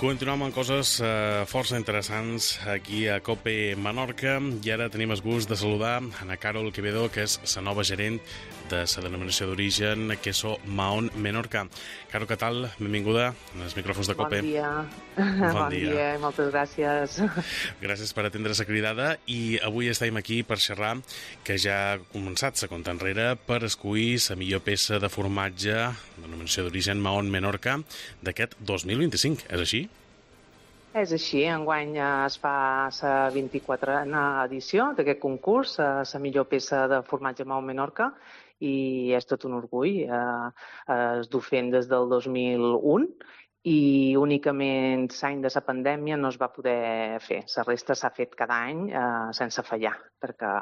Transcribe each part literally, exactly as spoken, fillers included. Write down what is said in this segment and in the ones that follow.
Continuem amb coses eh, força interessants aquí a Cope Menorca i ara tenim el gust de saludar Ana Carol Quevedo, que és la nova gerent de la denominació d'origen Queso Mahón Menorca. Caro, què tal? Benvinguda als micròfons de Cope. Bon dia. Bon, bon dia. dia i moltes gràcies. Gràcies per atendre la cridada i avui estem aquí per xerrar que ja ha començat la compta enrere per escollir la millor peça de formatge, denominació d'origen Mahón Menorca, d'aquest dos mil vint-i-cinc. És així? És així, enguany es fa la vint-i-quatrena edició d'aquest concurs, la millor peça de formatge Mahón Menorca, i és tot un orgull. Es du fent des del dos mil un i únicament l'any de la pandèmia no es va poder fer. La resta s'ha fet cada any eh, sense fallar, perquè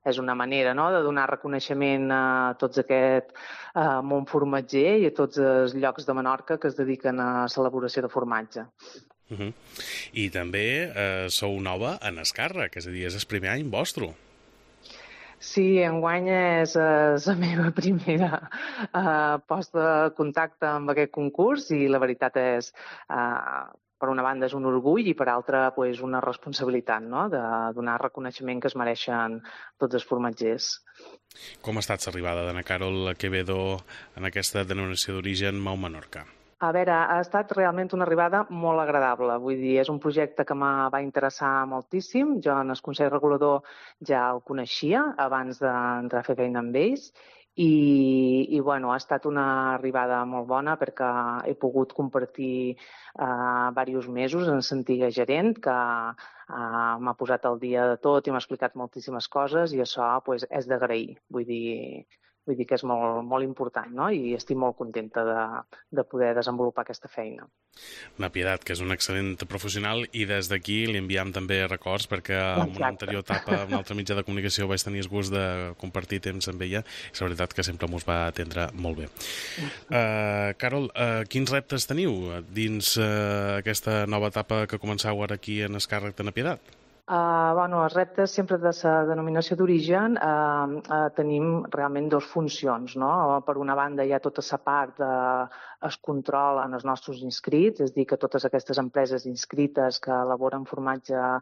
és una manera, no?, de donar reconeixement a tots aquest eh, món formatger i a tots els llocs de Menorca que es dediquen a l'elaboració de formatge. Uh -huh. I també eh, sou nova en Escàrrec, és a dir, és el primer any vostre. Sí, enguany és eh, la meva primera eh, posta de contacte amb aquest concurs i la veritat és, eh, per una banda és un orgull i per altra pues, una responsabilitat, no?, de donar reconeixement que es mereixen tots els formatgers. Com ha estat l'arribada d'Ana Carol Quevedo en aquesta denominació d'origen Mahón Menorca? A veure, ha estat realment una arribada molt agradable. Vull dir, és un projecte que me va interessar moltíssim. Jo en el Consell Regulador ja el coneixia abans d'entrar a fer feina amb ells i, i bueno, ha estat una arribada molt bona perquè he pogut compartir eh, diversos mesos en l'antiga gerent que eh, m'ha posat al dia de tot i m'ha explicat moltíssimes coses i això pues, és d'agrair. Vull dir, Vull dir que és molt, molt important, no? I estic molt contenta de, de poder desenvolupar aquesta feina. Una Pietat, que és un excel·lent professional i des d'aquí li enviam també records perquè en una anterior etapa, en una altra mitjà de comunicació vaig tenir el gust de compartir temps amb ella i la veritat que sempre mos va atendre molt bé. Uh, Carol, uh, quins reptes teniu dins uh, aquesta nova etapa que començau ara aquí en Escàrrec de Na Pietat? Uh, bueno, els reptes sempre de la denominació d'origen uh, uh, tenim realment dues funcions, no? Per una banda hi ha tota la part de es control en els nostres inscrits, és a dir, que totes aquestes empreses inscrites que elaboren formatge uh,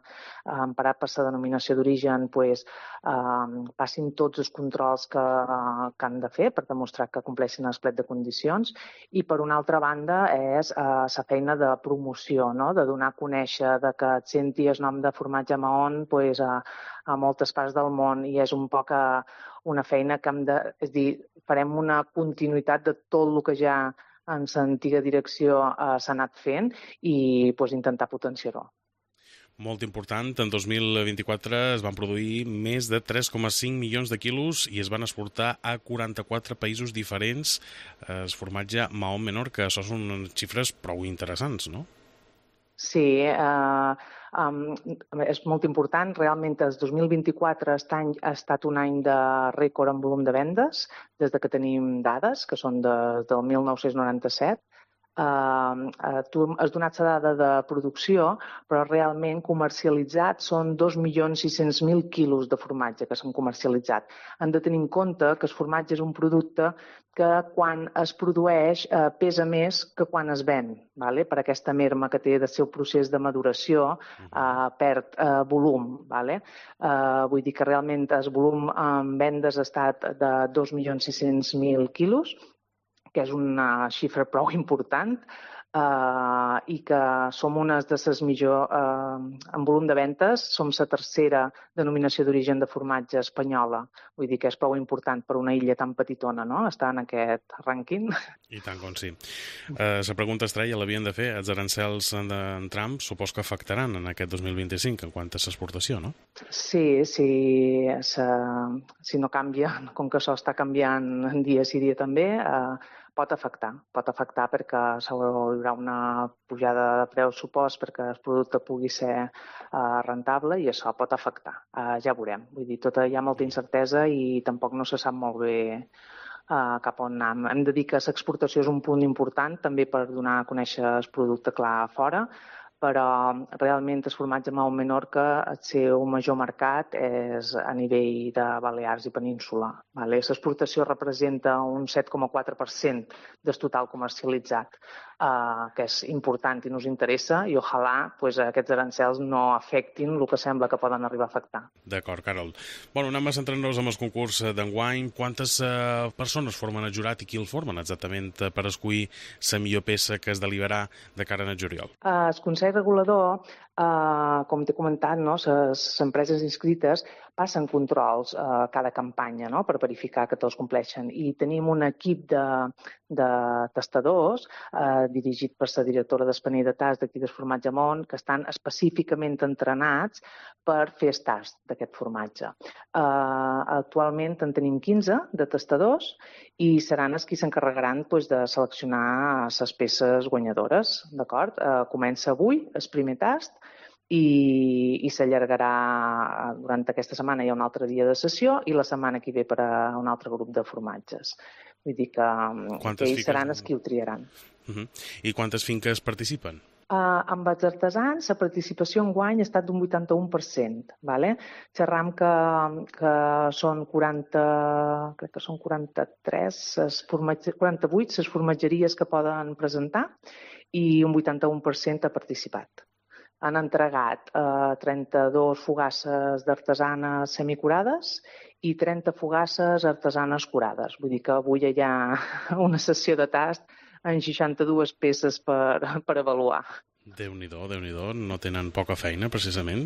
emparat per la denominació d'origen pues, uh, passin tots els controls que, uh, que han de fer per demostrar que compleixen el plec de condicions i per una altra banda és uh, la feina de promoció, no? De donar a conèixer de que et senti el nom de formatge Mahón pues, a, a moltes parts del món i és un poc a, una feina que hem de... És dir, farem una continuïtat de tot el que ja en l'antiga direcció eh, s'ha anat fent i pues, intentar potenciar-ho. Molt important, en dos mil vint-i-quatre es van produir més de tres coma cinc milions de quilos i es van exportar a quaranta-quatre països diferents el formatge Mahón Menorca. Això són xifres prou interessants, no? Sí, eh, um, és molt important. Realment el dos mil vint-i-quatre aquest any ha estat un any de rècord en volum de vendes, des de que tenim dades, que són de, del mil nou-cents noranta-set. Uh, uh, tu has donat la dada de producció, però realment comercialitzat són dos milions sis-cents mil quilos de formatge que s'han comercialitzat. Han de tenir en compte que el formatge és un producte que quan es produeix eh, pesa més que quan es ven, vale? Per aquesta merma que té del seu procés de maduració eh, perd eh, volum. Vale? Eh, vull dir que realment el volum en vendes ha estat de dos milions sis-cents mil quilos, que és una xifra prou important eh, i que som una de les millors, eh, en volum de ventes, som la tercera denominació d'origen de formatge espanyola. Vull dir que és prou important per una illa tan petitona, no?, estar en aquest rànquing. I tant com sí. Eh, la pregunta estrella l'havien de fer. Els arancels en Trump supos que afectaran en aquest dos mil vint-i-cinc en quant a l'exportació, no? Sí, sí, sa, si no canvia, com que això està canviant dia sí dia també, eh, pot afectar, pot afectar perquè hi haurà una pujada de preu, supos, perquè el producte pugui ser eh, rentable i això pot afectar. Eh, ja veurem. Vull dir, tota, hi ha molta incertesa i tampoc no se sap molt bé eh, cap on anar. Hem de dir que l'exportació és un punt important també per donar a conèixer el producte clar fora, però realment el formatge Mahón Menorca, el seu major mercat és a nivell de Balears i Península. Vale? L'exportació representa un set coma quatre per cent del total comercialitzat. eh, que és important i nos interessa, i ojalà pues, aquests arancels no afectin el que sembla que poden arribar a afectar. D'acord, Carol. Bueno, anem a centrar-nos en el concurs d'enguany. Quantes eh, persones formen el jurat i qui el formen exactament per escollir la millor peça que es deliberarà de cara al juliol? Eh, el Consell Regulador, eh, com t'he comentat, no, les empreses inscrites passen controls a eh, cada campanya, no?, per verificar que tots compleixen. I tenim un equip de, de testadors eh, dirigit per la directora d'Espanell de Tast d'aquí del Formatge Món, que estan específicament entrenats per fer el tast d'aquest formatge. Eh, actualment en tenim quinze de testadors i seran els qui s'encarregaran pues, de seleccionar les peces guanyadores. D'acord? Eh, comença avui el primer tast i, i s'allargarà durant aquesta setmana. Hi ha un altre dia de sessió i la setmana que ve per a un altre grup de formatges. Vull dir que, que ells fiques... seran els qui ho triaran. Uh -huh. I quantes finques participen? Uh, amb els artesans, la participació enguany ha estat d'un vuitanta-u per cent. Vale? Xerram que, que són quaranta, crec que són quaranta-tres, quaranta-vuit les formatgeries que poden presentar i un vuitanta-u per cent ha participat. Han entregat eh, trenta-dues fogasses d'artesanes semicurades i trenta fogasses artesanes curades. Vull dir que avui hi ha una sessió de tast en seixanta-dues peces per, per avaluar. Déu-n'hi-do, Déu-n'hi-do, no tenen poca feina, precisament.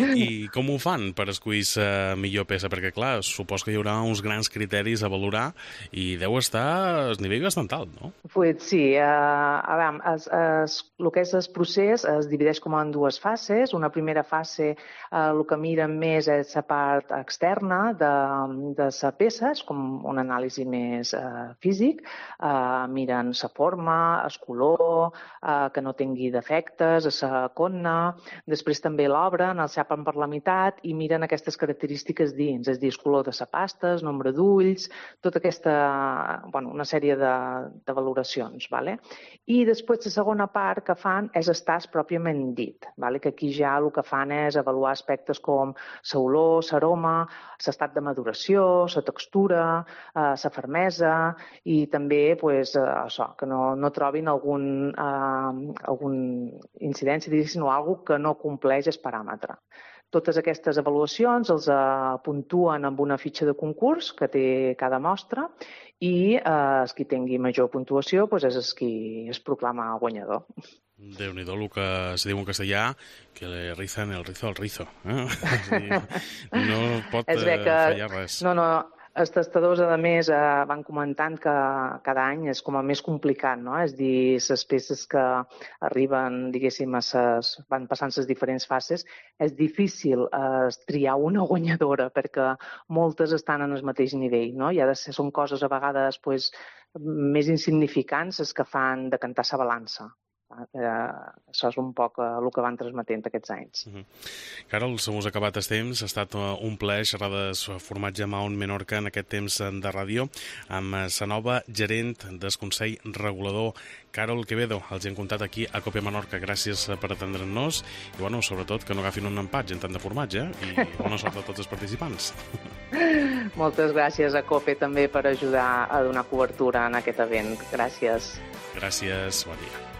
I com ho fan per escollir la millor peça? Perquè, clar, supos que hi haurà uns grans criteris a valorar i deu estar a nivell bastant alt, no? Pues sí, uh, a veure, es, es, el que és el procés es divideix com en dues fases. Una primera fase, uh, el que miren més és la part externa de, de la peça, és com un anàlisi més uh, físic. Uh, miren la forma, el color, uh, que no tingui defectes, a la conna, després també l'obren, el xapen per la meitat i miren aquestes característiques dins, és a dir, el color de la pasta, el nombre d'ulls, tota aquesta, bueno, una sèrie de, de valoracions. Vale? I després la segona part que fan és el tast pròpiament dit, vale? Que aquí ja el que fan és avaluar aspectes com l'olor, l'aroma, l'estat de maduració, la textura, la fermesa i també pues, això, que no, no trobin algun eh, algun incidència, diguéssim, o alguna que no compleix el paràmetre. Totes aquestes avaluacions els uh, puntuen amb una fitxa de concurs que té cada mostra i uh, el qui tingui major puntuació pues, és el qui es proclama guanyador. Déu-n'hi-do, el que es diu en castellà, que le rizan el rizo al rizo. Eh? És a dir, no pot uh, fallar res. No, no, els testadors, a més, eh, van comentant que cada any és com a més complicat, no? És a dir, les peces que arriben, diguéssim, a ses, van passant les diferents fases, és difícil eh, triar una guanyadora perquè moltes estan en el mateix nivell, no? I ha de ser, són coses a vegades pues, més insignificants les que fan decantar la balança. Eh, això és un poc eh, el que van transmetent aquests anys. Uh -huh. Carol, se mos ha acabat el temps. Ha estat un plaer xerrar del formatge Mahón Menorca en aquest temps de ràdio amb la nova gerent del Consell Regulador, Carol Quevedo. Els hem comptat aquí a Cope Menorca. Gràcies per atendre'ns i, bueno, sobretot, que no agafin un empat en tant de formatge eh? I bona sort a tots els participants. Moltes gràcies a Cope també per ajudar a donar cobertura en aquest event. Gràcies. Gràcies, bon dia.